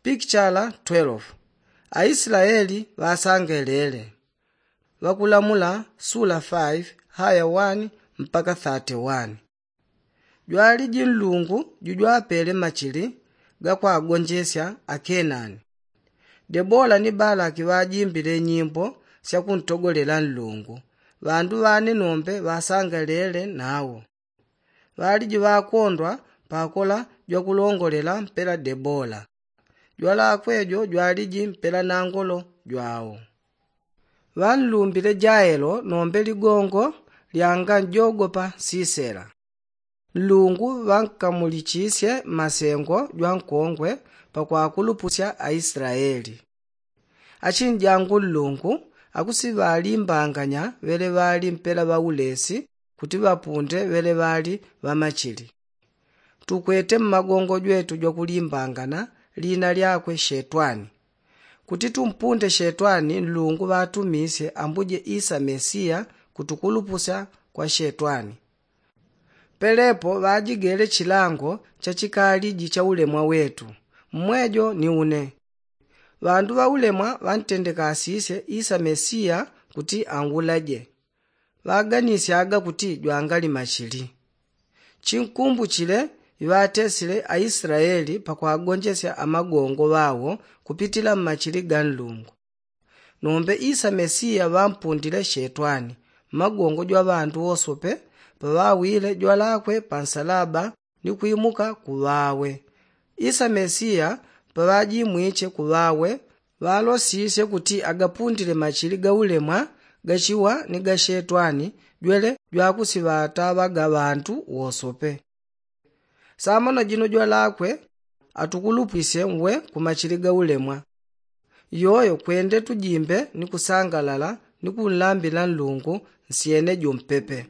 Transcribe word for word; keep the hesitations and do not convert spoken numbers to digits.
Pikichala twelve. Aislaeli ŵasangelele. Ŵakulamula sula faive haya wani mpaka thate wani. Jwaliji nlungu jujwapele machili gakwagonjesya akenani. Debola ni balaki ŵajimbile nyimbo syakuntogolela nlungu. Ŵandu ŵane nombe ŵasangelele nawo. Ŵaliji ŵakondwa pakola jwakulongolela mpela debola. Jwalakwe jo jwaliji mpela nangolo jwawo. Ŵanlumbile jaelo nombe ligongo lyanganjogopa sisela. Nlungu ŵankamulichisye mmasengo jwankongwe pakwakulupusya aislaeli. Achinjangu nlungu akusiŵalimbanganya ŵeleŵali mpela ŵaulesi kuti ŵapunde ŵeleŵali ŵamachili. Tukwete mmagongo jwetu jwakulimbangana lina lyakwe shetwani. Kuti tumpunde shetwani nlungu ŵatumisye ambuje isa mesiya kutukulupusya kwa shetwani. Pelepo ŵajigele chilango chachikaliji cha ulemwa wetu. Mmwejo ni une. Ŵandu ŵaulemwa ŵantendekasisye isa mesiya kuti angulaje. Ŵaganisyaga kuti jwangali machili. Chinkumbuchile iŵatesile aislaeli pakwagonjesya amagongo ŵawo kupitila mmachili ga nlungu. Nombe isa mesiya ŵampundile shetwani mmagongo jwa ŵandu wosope paŵawile jwalakwe pansalaba ni kwimuka kuŵawe. Isa mesiya paŵajimwiche kuŵawe ŵalosisye kuti agapundile machili gaulemwa gachiwa ni gashetwani jwele jwakusiŵataŵaga ŵandu wosope. Samono jino jwalakwe atukulupwisye nwe kumachili gaulemwa. Iyoyo kwende tujimbe ni kusangalala ni kunlambila nlungu nsyene jompepe.